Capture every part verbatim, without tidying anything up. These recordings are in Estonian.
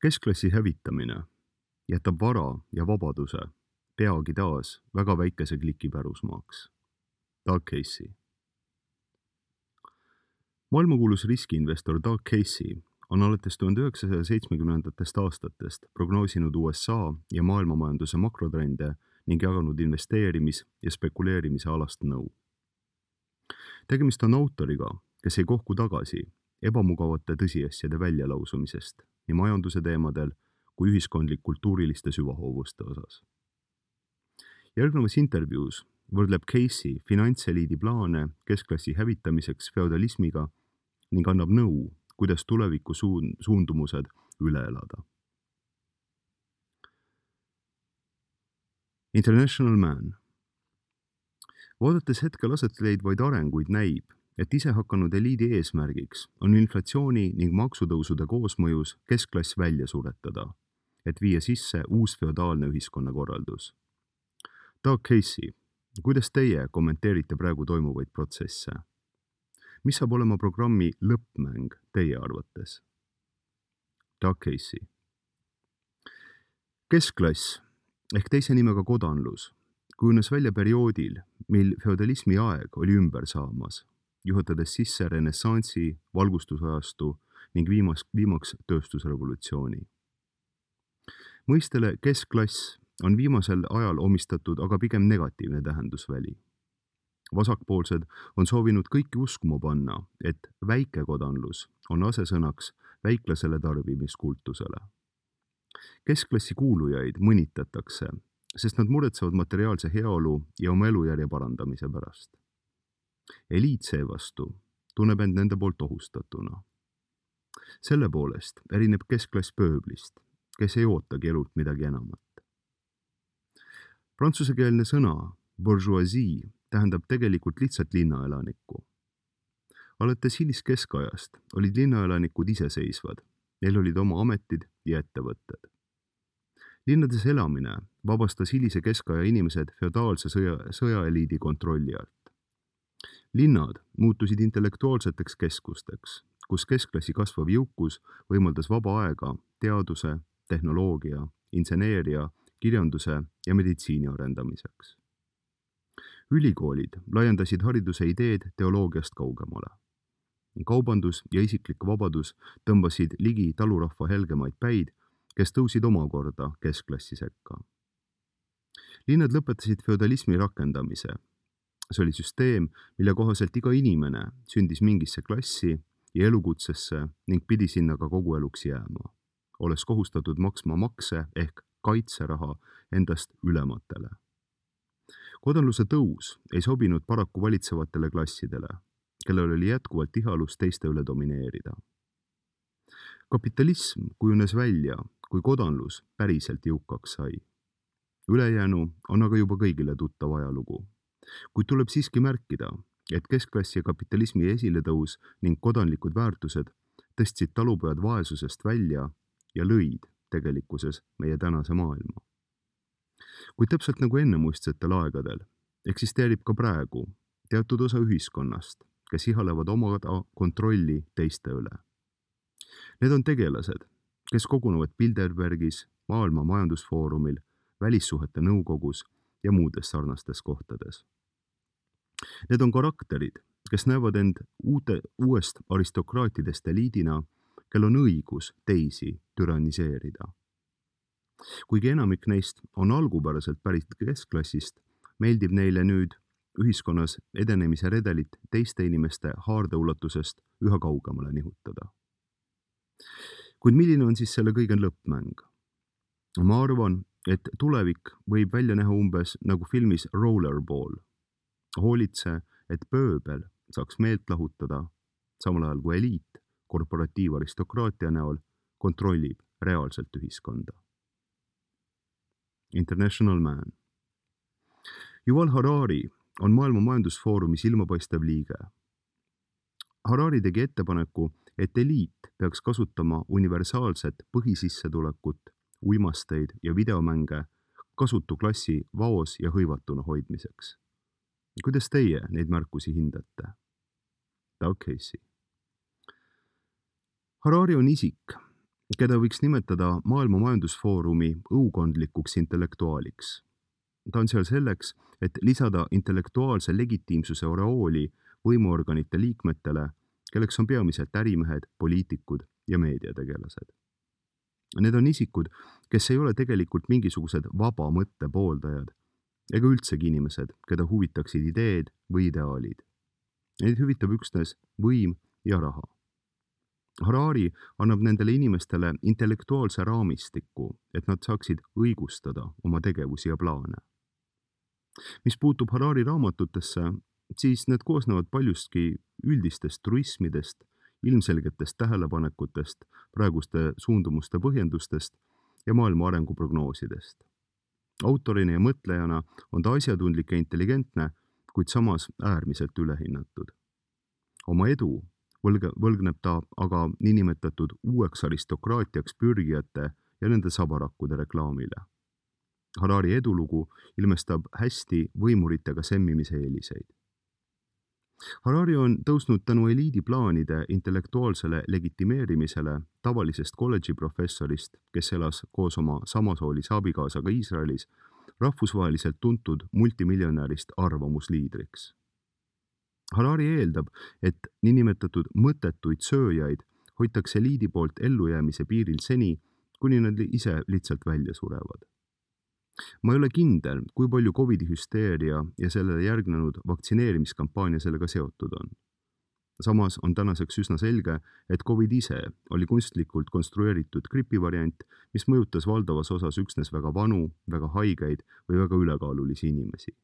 Keskklassi hävitamine jätab vara ja vabaduse peagi taas väga väikese kliki pärusmaaks. Doug Casey. Maailmakuulus riskiinvestor Doug Casey on alates tuhande üheksasaja seitsmekümnendatest aastatest prognoosinud U S A ja maailmamajanduse makrotrende ning jaganud investeerimis- ja spekuleerimise alast nõu. Tegemist on autoriga, kes ei kohku tagasi ebamugavate tõsiasjade väljalausumisest nii majanduse teemadel kui ühiskondlik-kultuuriliste süvahoovuste osas. Järgnevas intervjuus võrdleb Casey finantseliidi plaane keskklassi hävitamiseks feodalismiga ning annab nõu, kuidas tuleviku suund- suundumused üle elada. International Man. Vaadates hetkel aset leidvaid arenguid näib, et isehakanud eliidi eesmärgiks on inflatsiooni ning maksutõusude koosmõjus keskklass välja suretada, et viia sisse uus feodaalne ühiskonnakorraldus. Doug Casey, kuidas teie kommenteerite praegu toimuvaid protsesse? Mis saab olema programmi lõppmäng teie arvates? Doug Casey. Keskklass ehk teise nimega kodanlus kujunes välja perioodil, mil feodalismi aeg oli ümber saamas, juhatades sisse renessansi, valgustusajastu ning viimas, viimaks tööstusrevolutsiooni. Mõistele keskklass on viimasel ajal omistatud aga pigem negatiivne tähendusväli. Vasakpoolsed on soovinud kõiki uskuma panna, et väikekodanlus on asesõnaks väiklasele tarbimiskultusele. Keskklassi kuulujaid mõnitatakse, sest nad muretsevad materiaalse heaolu ja oma elujärje parandamise pärast. Eliit seevastu tunneb end nende poolt ohustatuna. Selle poolest erineb keskklass pööblist, kes ei ootagi elult midagi enamat. Prantsusekeelne sõna bourgeoisie tähendab tegelikult lihtsalt linnaelanikku. Alates hiliskeskajast olid linnaelanikud iseseisvad, neil olid oma ametid ja ettevõtted. Linnades elamine vabastas hilise keskaja inimesed feodaalse sõja, sõjaeliidi kontrolli alt. Linnad muutusid intellektuaalseteks keskusteks, kus keskklassi kasvav jõukus võimaldas vaba aega teaduse, tehnoloogia, inseneeria, kirjanduse ja meditsiini arendamiseks. Ülikoolid laiendasid hariduse ideed teoloogiast kaugemale. Kaubandus ja isiklik vabadus tõmbasid ligi talurahva helgemaid päid, kes tõusid omakorda keskklassi sekka. Linnad lõpetasid feodalismi rakendamise. See oli süsteem, mille kohaselt iga inimene sündis mingisse klassi ja elukutsesse ning pidi sinna ka kogu eluks jääma, olles kohustatud maksma makse ehk kaitseraha endast ülematele. Kodanluse tõus ei sobinud paraku valitsevatele klassidele, kellel oli jätkuvalt ihalus teiste üle domineerida. Kapitalism kujunes välja, kui kodanlus päriselt jõukaks sai. Ülejäänu on aga juba kõigile tuttav ajalugu. Kuid tuleb siiski märkida, et keskklassi ja kapitalismi esiletõus ning kodanlikud väärtused tõstsid talupojad vaesusest välja ja lõid tegelikkuses meie tänase maailma. Kuid täpselt nagu ennemuistsetel aegadel eksisteerib ka praegu teatud osa ühiskonnast, kes ihalevad omada kontrolli teiste üle. Need on tegelased, kes kogunevad Bilderbergis, Maailma Majandusfoorumil, Välissuhete nõukogus ja muudes sarnastes kohtades. Need on karakterid, kes näevad end uute, uuest aristokraatidest eliidina, kel on õigus teisi türanniseerida. Kuigi enamik neist on algupäraselt pärit keskklassist, meeldib neile nüüd ühiskonnas edenemise redelit teiste inimeste haardeulatusest üha kaugemale nihutada. Kuid milline on siis selle kõige lõppmäng? Ma arvan, et tulevik võib välja näha umbes nagu filmis Rollerball. Hoolitse, et pööbel saaks meelt lahutada, samal ajal kui eliit korporatiivaristokraatia näol kontrollib reaalselt ühiskonda. International Man. Yuval Harari on Maailma Majandusfoorumi silmapaistev liige. Harari tegi ettepaneku, et eliit peaks kasutama universaalset põhisissetulekut, uimasteid ja videomänge kasutu klassi vaos ja hõivatuna hoidmiseks. Kuidas teie neid märkusi hindate? Doug Casey. Harari on isik, keda võiks nimetada Maailma Majandusfoorumi õukondlikuks intellektuaaliks. Ta on seal selleks, et lisada intellektuaalse legitiimsuse oreooli võimuorganite liikmetele, kelleks on peamiselt ärimehed, poliitikud ja meediategelased. Need on isikud, kes ei ole tegelikult mingisugused vaba mõtte pooldajad ega üldsegi inimesed, keda huvitaksid ideed või ideaalid. Neid huvitab üksnes võim ja raha. Harari annab nendele inimestele intellektuaalse raamistiku, et nad saaksid õigustada oma tegevusi ja plaane. Mis puutub Harari raamatutesse, siis need koosnevad paljustki üldistest truismidest, ilmselgetest tähelepanekutest, praeguste suundumuste põhjendustest ja maailma arenguprognoosidest. Autorina ja mõtlejana on ta asjatundlik ja intelligentne, kuid samas äärmiselt ülehinnatud. Oma edu võlg, võlgneb ta aga niinimetatud uueks aristokraatiaks pürgijate ja nende sabarakkude reklaamile. Harari edulugu ilmestab hästi võimuritega semmimise eeliseid. Harari on tõusnud tänu eliidi plaanide intellektuaalsele legitimeerimisele tavalisest kolledži professorist, kes elas koos oma samasoolise abikaasaga Iisraelis, rahvusvaheliselt tuntud multimiljonärist arvamusliidriks. Harari eeldab, et niinimetatud mõttetuid sööjaid hoitakse eliidi poolt ellujäämise piiril seni, kuni nad ise lihtsalt välja surevad. Ma ei ole kindel, kui palju Covidi hüsteeria ja sellele järgnenud vaktsineerimiskampaania sellega seotud on. Samas on tänaseks üsna selge, et Covid ise oli kunstlikult konstrueeritud gripivariant, mis mõjutas valdavas osas üksnes väga vanu, väga haigeid või väga ülekaalulisi inimesi.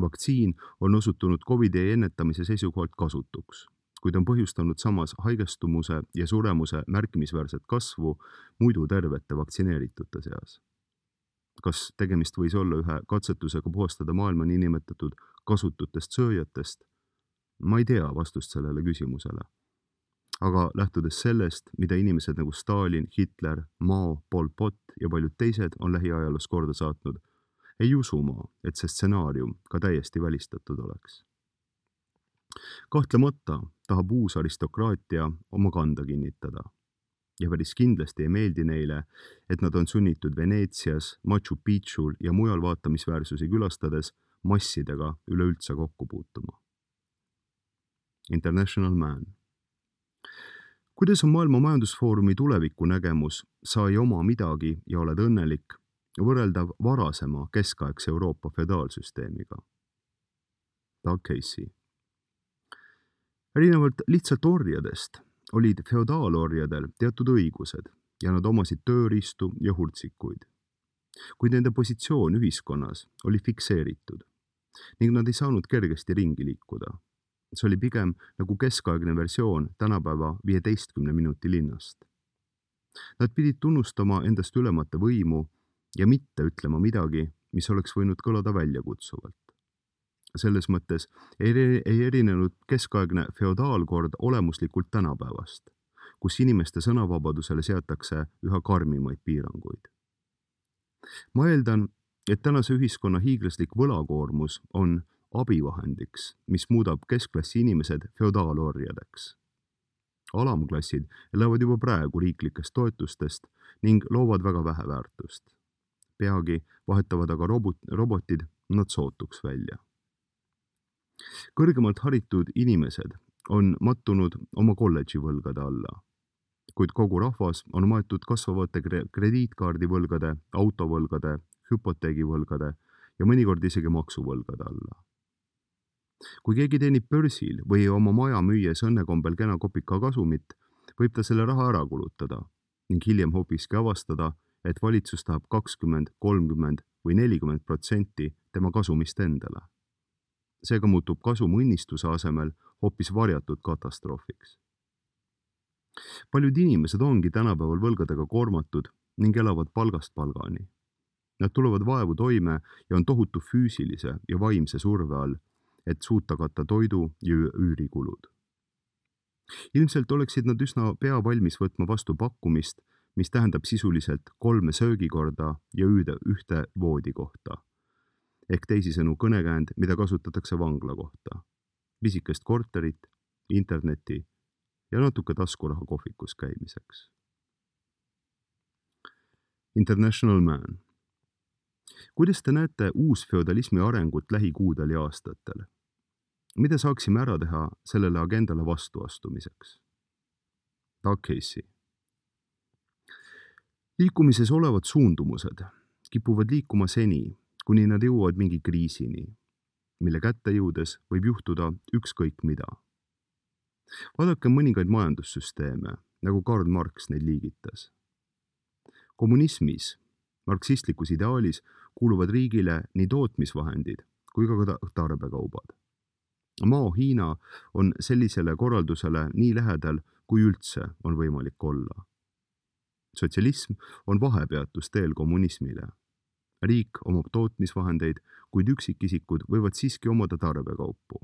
Vaktsiin on osutunud Covidi ennetamise seisukohalt kasutuks, kuid on põhjustanud samas haigestumuse ja suremuse märkimisväärset kasvu muidu tervete vaktsineeritute seas. Kas tegemist võis olla ühe katsetusega puhastada maailma niinimetatud kasututest sööjatest? Ma ei tea vastust sellele küsimusele. Aga lähtudes sellest, mida inimesed nagu Stalin, Hitler, Mao, Pol Pot ja paljud teised on lähiajaloos korda saatnud, ei usu ma, et see stsenaarium ka täiesti välistatud oleks. Kahtlemata tahab uus aristokraatia oma kanda kinnitada. Ja päris kindlasti ei meeldi neile, et nad on sunnitud Veneetsias, Machu Picchul ja mujal vaatamisväärsusi külastades massidega üleüldse kokku puutuma. International Man. Kuidas on Maailma Majandusfoorumi tuleviku nägemus sai oma midagi ja oled õnnelik, võrreldav varasema keskaegse Euroopa feodaalsüsteemiga? Doug Casey. Erinevalt lihtsalt orjadest olid feodaalorjadel teatud õigused ja nad omasid tööriistu ja hurtsikuid. Kuid nende positsioon ühiskonnas oli fikseeritud ning nad ei saanud kergesti ringi liikuda. See oli pigem nagu keskaegne versioon tänapäeva viieteistkümne minuti linnast. Nad pidid tunnustama endast ülemate võimu ja mitte ütlema midagi, mis oleks võinud kõlada väljakutsuvalt. Selles mõttes ei erinenud keskaegne feodaalkord olemuslikult tänapäevast, kus inimeste sõnavabadusele seatakse üha karmimaid piiranguid. Ma eeldan, et tänase ühiskonna hiiglaslik võlakoormus on abivahendiks, mis muudab keskklassi inimesed feodaalorjadeks. Alamklassid elavad juba praegu riiklikest toetustest ning loovad väga vähe väärtust. Peagi vahetavad aga robot, robotid nad sootuks välja. Kõrgemalt haritud inimesed on mattunud oma kolledži võlgade alla, kuid kogu rahvas on maetud kasvavate krediitkaardivõlgade, autovõlgade, hüpoteegivõlgade ja mõnikord isegi maksuvõlgade alla. Kui keegi teenib börsil või oma maja müües õnnekombel kena kopika kasumit, võib ta selle raha ära kulutada ning hiljem hoopiski avastada, et valitsus tahab kakskümmend, kolmkümmend või nelikümmend protsenti tema kasumist endale. Seega muutub kasum õnnistuse asemel hoopis varjatud katastroofiks. Paljud inimesed ongi tänapäeval võlgadega koormatud ning elavad palgast palgani. Nad tulevad vaevu toime ja on tohutu füüsilise ja vaimse surve all, et suuta katta toidu ja üürikulud. Ilmselt oleksid nad üsna pea valmis võtma vastu pakkumist, mis tähendab sisuliselt kolme söögikorda ja ühte voodikohta. Ehk teisisõnu kõnekäänd, mida kasutatakse vangla kohta. Pisikest korterit, interneti ja natuke taskuraha kohvikus käimiseks. International Man. Kuidas te näete uusfeodalismi arengut lähikuudel ja aastatel? Mida saaksime ära teha sellele agendale vastuastumiseks? Doug Casey. Liikumises olevad suundumused kipuvad liikuma seni, kuni nad jõuavad mingi kriisini, mille kätte jõudes võib juhtuda ükskõik mida. Vaadake mõningaid majandussüsteeme, nagu Karl Marx neid liigitas. Kommunismis, marksistlikus ideaalis, kuuluvad riigile nii tootmisvahendid kui ka tarbekaubad. Mao Hiina on sellisele korraldusele nii lähedal, kui üldse on võimalik olla. Sotsialism on vahepeatus teel kommunismile. Riik omab tootmisvahendeid, kuid üksikisikud võivad siiski omada tarbekaupu.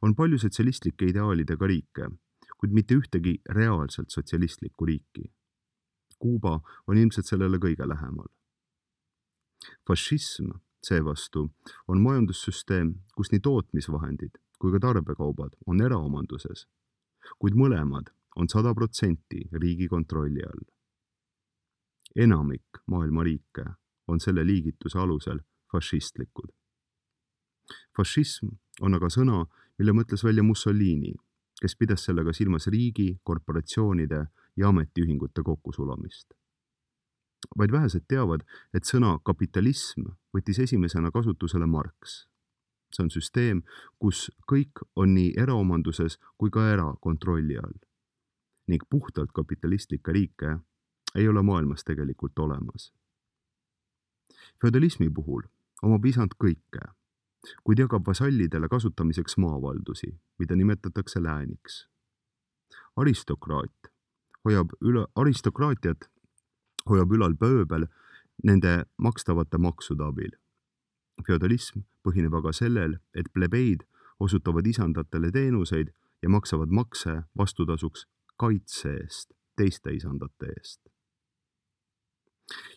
On palju sotsialistlike ideaalidega riike, kuid mitte ühtegi reaalselt sotsialistlikku riiki. Kuuba on ilmselt sellele kõige lähemal. Fašism seevastu on majandussüsteem, kus nii tootmisvahendid kui ka tarbekaubad on eraomanduses, kuid mõlemad on sada protsenti riigi kontrolli all. Enamik maailma riike on selle liigituse alusel fašistlikud. Fašism on aga sõna, mille mõtles välja Mussolini, kes pidas sellega silmas riigi, korporatsioonide ja ametiühingute kokkusulamist. Vaid vähesed teavad, et sõna kapitalism võttis esimesena kasutusele Marx. See on süsteem, kus kõik on nii eraomanduses kui ka erakontrolli all. Ning puhtalt kapitalistlikke riike ei ole maailmas tegelikult olemas. Feodalismi puhul omab isand kõike, kuid jagab vasallidele kasutamiseks maavaldusi, mida nimetatakse lääniks. Aristokraat hoiab üle, aristokraatiat hoiab ülal pööbel nende makstavate maksude abil. Feodalism põhineb aga sellel, et plebeid osutavad isandatele teenuseid ja maksavad makse vastutasuks kaitse eest, teiste isandate eest.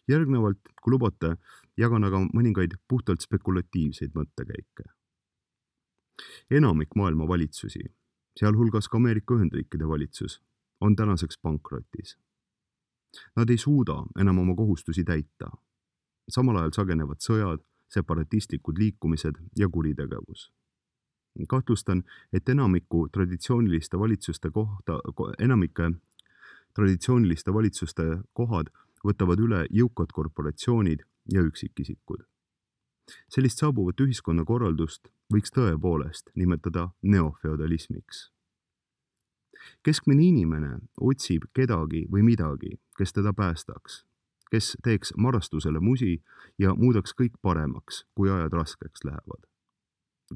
Järgnevalt, kui lubate, jagan aga mõningaid puhtalt spekulatiivseid mõttekäike. Enamik maailma valitsusi, sealhulgas ka Ameerika Ühendriikide valitsus, on tänaseks pankrotis. Nad ei suuda enam oma kohustusi täita. Samal ajal sagenevad sõjad, separatistlikud liikumised ja kuritegevus. Kahtlustan, et enamiku traditsiooniliste valitsuste kohta, enamike traditsiooniliste valitsuste kohad võtavad üle jõukad korporatsioonid ja üksikisikud. Sellist saabuvat ühiskonnakorraldust võiks tõepoolest nimetada neofeodalismiks. Keskmine inimene otsib kedagi või midagi, kes teda päästaks, kes teeks marastusele musi ja muudaks kõik paremaks, kui ajad raskeks lähevad.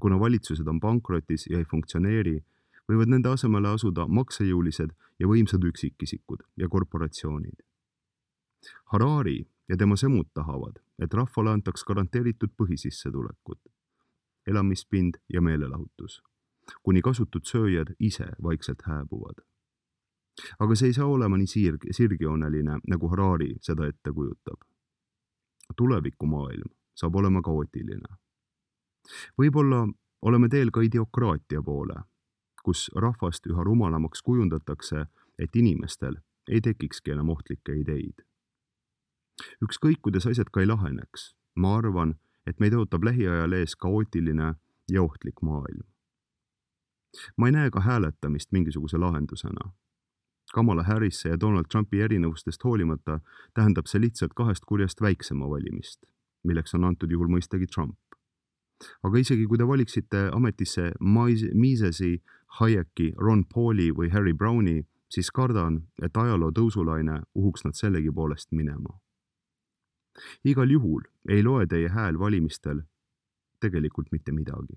Kuna valitsused on pankrotis ja ei funktsioneeri, võivad nende asemele asuda maksejõulised ja võimsad üksikisikud ja korporatsioonid. Harari ja tema semud tahavad, et rahvale antaks garanteeritud põhisissetulekut, elamispind ja meelelahutus, kuni kasutud sööjad ise vaikselt hääbuvad. Aga see ei saa olema nii sirg, sirgjooneline, nagu Harari seda ette kujutab. Tulevikumaailm saab olema kaootiline. Võib-olla oleme teel ka ideokraatia poole, kus rahvast üha rumalamaks kujundatakse, et inimestel ei tekikski enam ohtlikke ideid. Ükskõik, kuidas asjad ka ei laheneks, ma arvan, et meid ootab lähiajal ees kaootiline ja ohtlik maailm. Ma ei näe ka hääletamist mingisuguse lahendusena. Kamala Harrise ja Donald Trumpi erinevustest hoolimata tähendab see lihtsalt kahest kurjast väiksema valimist, milleks on antud juhul mõistagi Trump. Aga isegi kui te valiksite ametisse Misesi, Hayeki, Ron Pauli või Harry Browni, siis kardan, et ajaloo tõusulaine uhuks nad sellegi poolest minema. Igal juhul ei loe teie hääl valimistel tegelikult mitte midagi.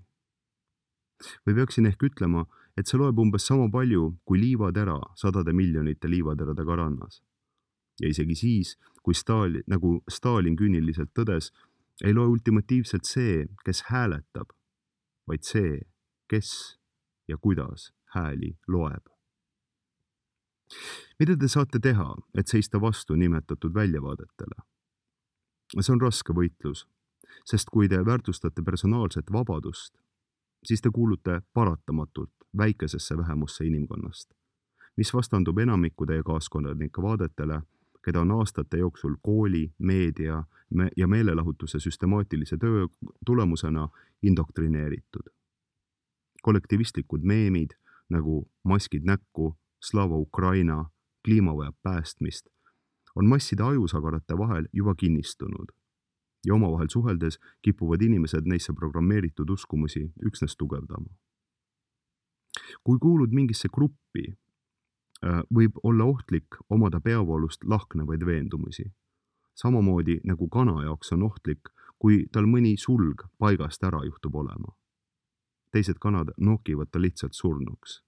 Või peaksin ehk ütlema, et see loeb umbes sama palju kui liivatera sadade miljonite liivateradega rannas. Ja isegi siis, kui Stalin, nagu Stalin küüniliselt tõdes, ei loe ultimatiivselt see, kes hääletab, vaid see, kes ja kuidas hääli loeb. Mida te saate teha, et seista vastu nimetatud väljavaadetele? See on raske võitlus, sest kui te väärtustate personaalset vabadust, siis te kuulute paratamatult väikesesse vähemusse inimkonnast, mis vastandub enamiku teie kaaskonnanike vaadetele, keda on aastate jooksul kooli, meedia ja meelelahutuse süstemaatilise töö tulemusena indoktrineeritud. Kollektivistlikud meemid nagu maskid näkku, Slava Ukraina, kliima vajab päästmist on masside ajusagarate vahel juba kinnistunud ja omavahel suheldes kipuvad inimesed neisse programmeeritud uskumusi üksnes tugevdama. Kui kuulud mingisse gruppi, võib olla ohtlik omada peavoolust lahknevaid veendumusi. Samamoodi nagu kana jaoks on ohtlik, kui tal mõni sulg paigast ära juhtub olema. Teised kanad nokivad ta lihtsalt surnuks.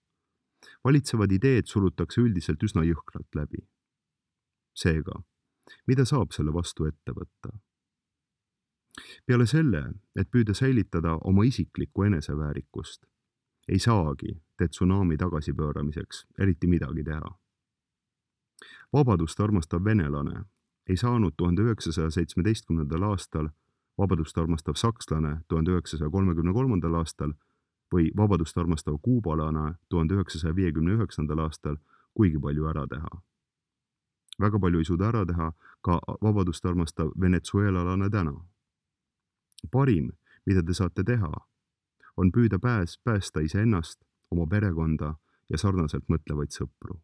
Valitsevad ideed surutakse üldiselt üsna jõhkralt läbi. Seega, mida saab selle vastu ette võtta? Peale selle, et püüda säilitada oma isiklikku eneseväärikust, ei saagi te tsunami tagasipööramiseks eriti midagi teha. Vabadust armastav venelane ei saanud tuhande üheksasaja seitsmeteistkümnendal aastal, vabadust armastav sakslane tuhande üheksasaja kolmekümne kolmandal aastal või vabadust armastav kuubalane tuhande üheksasaja viiekümne üheksandal aastal kuigi palju ära teha. Väga palju ei suuda ära teha ka vabadust armastav venezuelalane täna. Parim, mida te saate teha, on püüda pääs, päästa iseennast, oma perekonda ja sarnaselt mõtlevaid sõpru.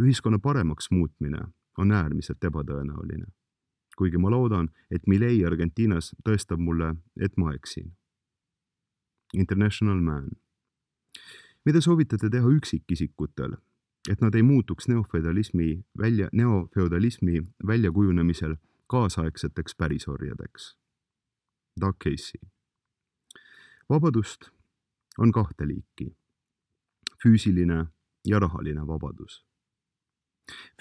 Ühiskonna paremaks muutmine on äärmiselt ebatõenäoline, kuigi ma loodan, et Milei Argentiinas tõestab mulle, et ma eksin. International Man. Mida soovitate teha üksikisikutel, et nad ei muutuks neofeudalismi välja, neofeudalismi väljakujunemisel kaasaegseteks pärisorjadeks? Doug Casey. Vabadust on kahte liiki. Füüsiline ja rahaline vabadus.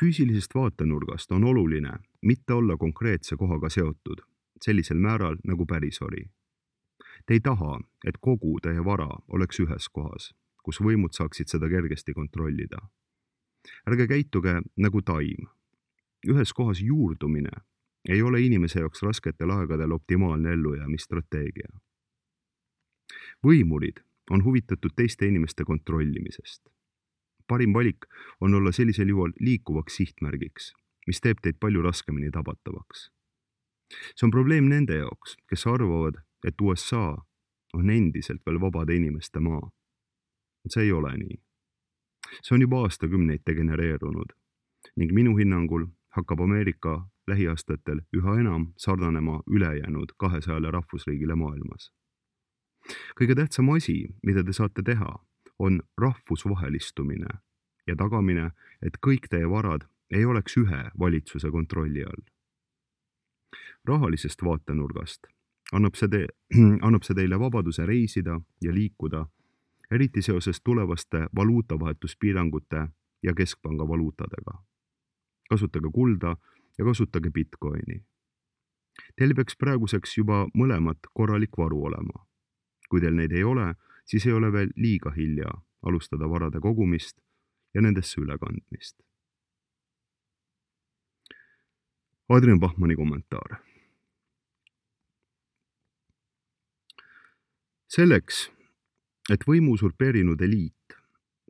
Füüsilisest vaatenurgast on oluline mitte olla konkreetse kohaga seotud, sellisel määral nagu pärisori. Te ei taha, et kogu teie vara oleks ühes kohas, kus võimud saaksid seda kergesti kontrollida. Ärge käituge nagu taim. Ühes kohas juurdumine ei ole inimese jaoks rasketel aegadel optimaalne ellujäämisstrateegia. Võimurid on huvitatud teiste inimeste kontrollimisest. Parim valik on olla sellisel juhul liikuvaks sihtmärgiks, mis teeb teid palju raskemini tabatavaks. See on probleem nende jaoks, kes arvavad, et U S A on endiselt veel vabade inimeste maa. See ei ole nii. See on juba aastakümneid degenereerunud ning minu hinnangul hakkab Ameerika lähiaastatel üha enam sarnanema ülejäänud kahesajale rahvusriigile maailmas. Kõige tähtsam asi, mida te saate teha, on rahvusvahelistumine ja tagamine, et kõik teie varad ei oleks ühe valitsuse kontrolli all. Rahalisest vaatenurgast annab see, te, annab see teile vabaduse reisida ja liikuda, eriti seoses tulevaste valuutavahetuspiirangute ja keskpanga valuutadega. Kasutage kulda ja kasutage bitcoini. Teil peaks praeguseks juba mõlemat korralik varu olema. Kui teil neid ei ole, siis ei ole veel liiga hilja alustada varade kogumist ja nendesse ülekandmist. Adrian Bachmanni kommentaar. Selleks, et võimu usurpeerinud eliit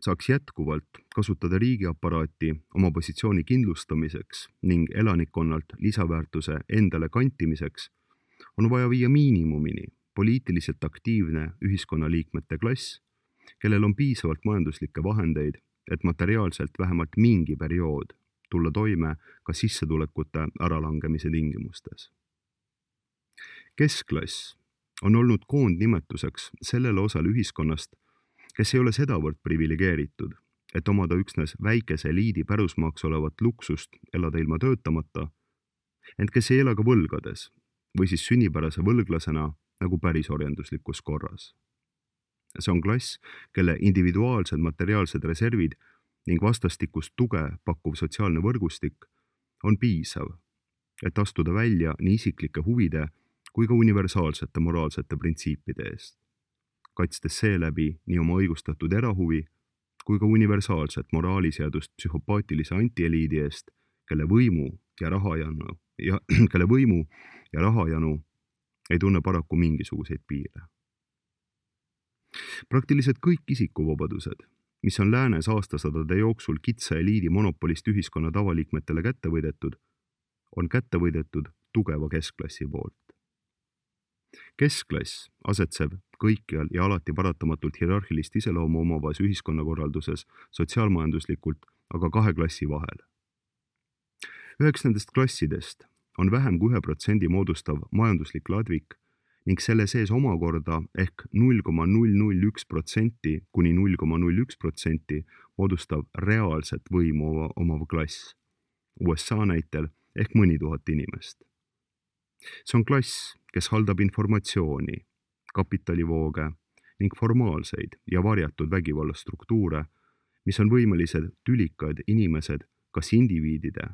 saaks jätkuvalt kasutada riigiaparaati oma positsiooni kindlustamiseks ning elanikkonnalt lisaväärtuse endale kantimiseks, on vaja viia miinimumini poliitiliselt aktiivne ühiskonnaliikmete klass, kellel on piisavalt majanduslikke vahendeid, et materiaalselt vähemalt mingi periood tulla toime ka sissetulekute äralangemise tingimustes. Keskklass on olnud koondnimetuseks sellele osale ühiskonnast, kes ei ole sedavõrd privilegeeritud, et omada üksnes väikese eliidi pärusmaaks olevat luksust elada ilma töötamata, ent kes ei ela ka võlgades või siis sünnipärase võlglasena nagu pärisorjanduslikus korras. See on klass, kelle individuaalsed materiaalsed reservid ning vastastikust tuge pakkuv sotsiaalne võrgustik on piisav, et astuda välja nii isiklike huvide kui ka universaalsete moraalsete printsiipide eest, kaitstes seeläbi nii oma õigustatud erahuvi kui ka universaalset moraaliseadust psühhopaatilise antieliidi eest, kelle võimu ja rahajanu ja kelle võimu ja rahajanu ei tunne paraku mingisuguseid piire. Praktiliselt kõik isikuvabadused mis on läänes aastasadade jooksul kitsa eliidi monopolist ühiskonna tavaliikmetele kätte võidetud, on kätte võidetud tugeva keskklassi poolt. Keskklass asetseb kõikjal ja alati paratamatult hierarhilist iseloomu omavas ühiskonnakorralduses sotsiaalmajanduslikult aga kahe klassi vahel. Üheks nendest klassidest on vähem kui ühe protsendi moodustav majanduslik ladvik ning selle sees omakorda ehk null koma null null üks protsenti kuni null koma null üks protsenti moodustav reaalset võimu omav klass, U S A näitel ehk mõni tuhat inimest. See on klass, kes haldab informatsiooni, kapitalivooge ning formaalseid ja varjatud vägivallastruktuure, mis on võimelised tülikad inimesed kas indiviidide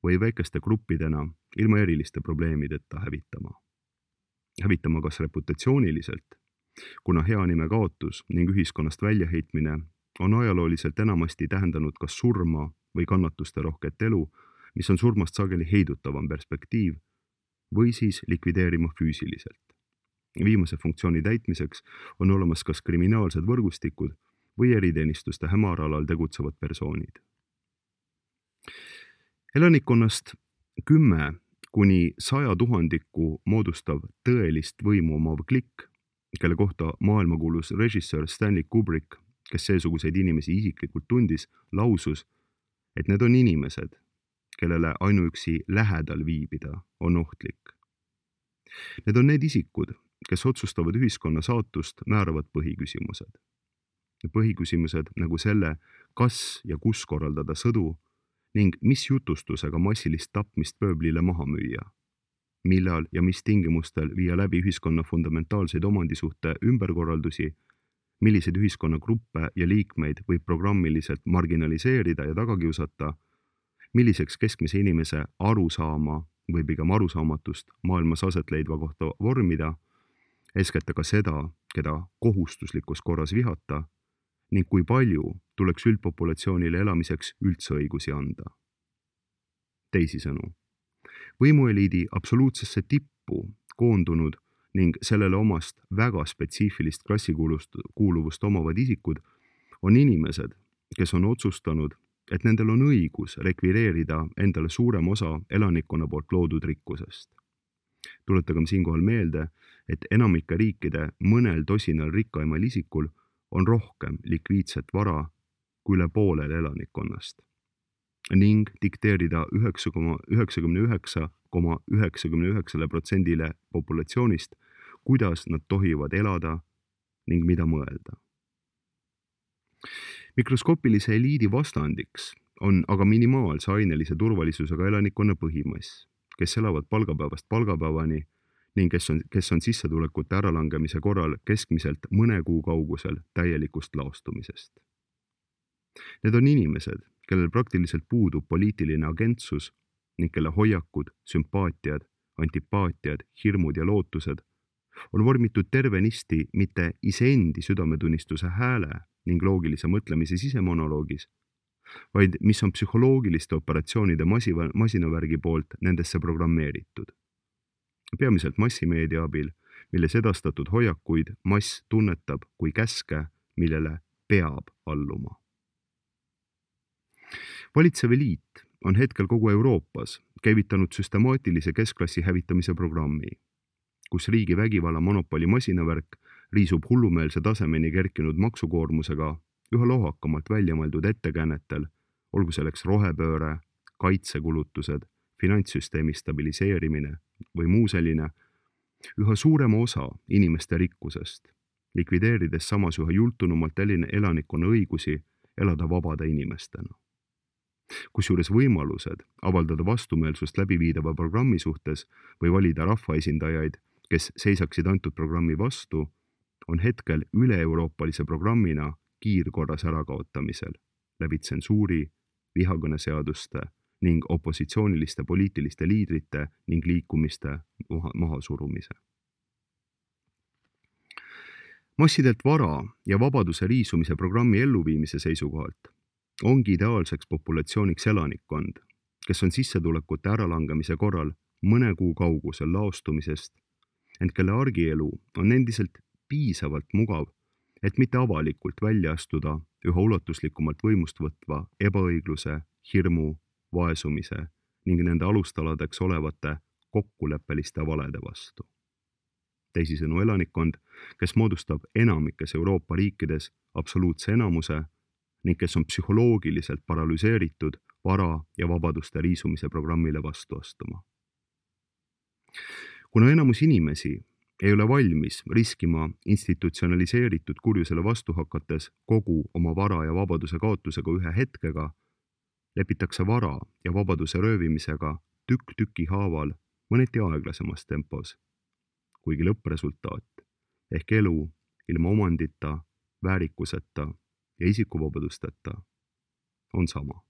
või väikeste gruppidena ilma eriliste probleemideta hävitama. Hävitama kas reputatsiooniliselt, kuna hea nime kaotus ning ühiskonnast väljaheitmine on ajalooliselt enamasti tähendanud kas surma või kannatuste rohket elu, mis on surmast sageli heidutavam perspektiiv, või siis likvideerima füüsiliselt. Viimase funktsiooni täitmiseks on olemas kas kriminaalsed võrgustikud või eriteenistuste hämaralal tegutsevad persoonid. Elanikkonnast kümme kuni saja tuhandiku moodustav tõelist võimu omav klikk, kelle kohta maailmakuulus režissöör Stanley Kubrick, kes seesuguseid inimesi isiklikult tundis, lausus, et need on inimesed, kellele ainuüksi lähedal viibida on ohtlik. Need on need isikud, kes otsustavad ühiskonna saatust määravad põhiküsimused. Põhiküsimused nagu selle, kas ja kus korraldada sõdu ning mis jutustusega massilist tapmist pööblile maha müüa, millal ja mis tingimustel viia läbi ühiskonna fundamentaalseid omandisuhte ümberkorraldusi, milliseid ühiskonnagruppe ja liikmeid võib programmiliselt marginaliseerida ja tagakiusata, milliseks keskmise inimese arusaama või pigem arusaamatust maailmas aset leidva kohta vormida, eeskätt ka seda, keda kohustuslikus korras vihata ning kui palju tuleks üldpopulatsioonile elamiseks üldse õigusi anda. Teisisõnu, võimueliidi absoluutsesse tippu koondunud ning sellele omast väga spetsiifilist klassikuuluvust omavad isikud on inimesed, kes on otsustanud, et nendel on õigus rekvireerida endale suurem osa elanikkonna poolt loodud rikkusest. Tuletagem siinkohal meelde, et enamike riikide mõnel tosinal rikkaimal isikul on rohkem likviidset vara kui üle poolel elanikkonnast ning dikteerida üheksakümmend üheksa koma üheksakümmend üheksa protsendile populatsioonist, kuidas nad tohivad elada ning mida mõelda. Mikroskoopilise eliidi vastandiks on aga minimaalse ainelise turvalisusega elanikkonna põhimass, kes elavad palgapäevast palgapäevani ning kes on, kes on sissetulekute äralangemise korral keskmiselt mõne kuu kaugusel täielikust laostumisest. Need on inimesed, kellel praktiliselt puudub poliitiline agentsus ning kelle hoiakud, sümpaatiad, antipaatiad, hirmud ja lootused on vormitud tervenisti mitte iseendi südametunnistuse hääle ning loogilise mõtlemise sisemonoloogis, vaid mis on psühholoogiliste operatsioonide masiva, masinavärgi poolt nendesse programmeeritud. Peamiselt massimeedia abil, milles edastatud hoiakuid mass tunnetab kui käske, millele peab alluma. Valitsev eliit on hetkel kogu Euroopas käivitanud süstemaatilise keskklassi hävitamise programmi, kus riigi vägivalla monopoli masinavärk riisub hullumeelse tasemeni kerkinud maksukoormusega üha lohakamalt väljamõeldud ettekäänetel, olgu selleks rohepööre, kaitsekulutused, finantssüsteemi stabiliseerimine või muu selline, üha suurema osa inimeste rikkusest, likvideerides samas üha jultunumalt elanikkonna õigusi elada vabade inimestena. Kusjuures võimalused avaldada vastumeelsust läbiviidava programmi suhtes või valida rahvaesindajaid, kes seisaksid antud programmi vastu, on hetkel üle-euroopalise programmina kiirkorras ärakaotamisel läbi tsensuuri, vihakõneseaduste ning opositsiooniliste poliitiliste liidrite ning liikumiste mahasurumise. Massidelt vara ja vabaduse riisumise programmi elluviimise seisukohalt ongi ideaalseks populatsiooniks elanikkond, kes on sissetulekute äralangemise korral mõne kuu kaugusel laostumisest, ent kelle argielu on endiselt piisavalt mugav, et mitte avalikult välja astuda üha ulatuslikumalt võimust võtva ebaõigluse, hirmu, vaesumise ning nende alustaladeks olevate kokkuleppeliste valede vastu. Teisisõnu elanikkond, kes moodustab enamikes Euroopa riikides absoluutse enamuse ning kes on psühholoogiliselt paralüseeritud vara ja vabaduste riisumise programmile vastu astuma. Kuna enamus inimesi ei ole valmis riskima institutsionaliseeritud kurjusele vastu hakates kogu oma vara ja vabaduse kaotusega ühe hetkega, lepitakse vara ja vabaduse röövimisega tükk tüki haaval mõneti aeglasemas tempos, kuigi lõppresultaat ehk elu ilma omandita, väärikuseta ja isikuvabadusteta on sama.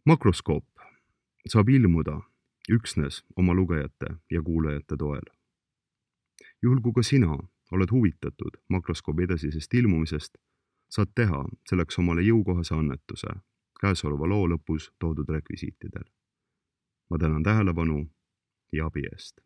Makroskoop saab ilmuda üksnes oma lugejate ja kuulajate toel. Juhul kui ka sina oled huvitatud makroskoobi edasisest ilmumisest, saad teha selleks omale jõukohase annetuse käesoleva loo lõpus toodud rekvisiitidel. Ma tänan tähelepanu ja abi eest.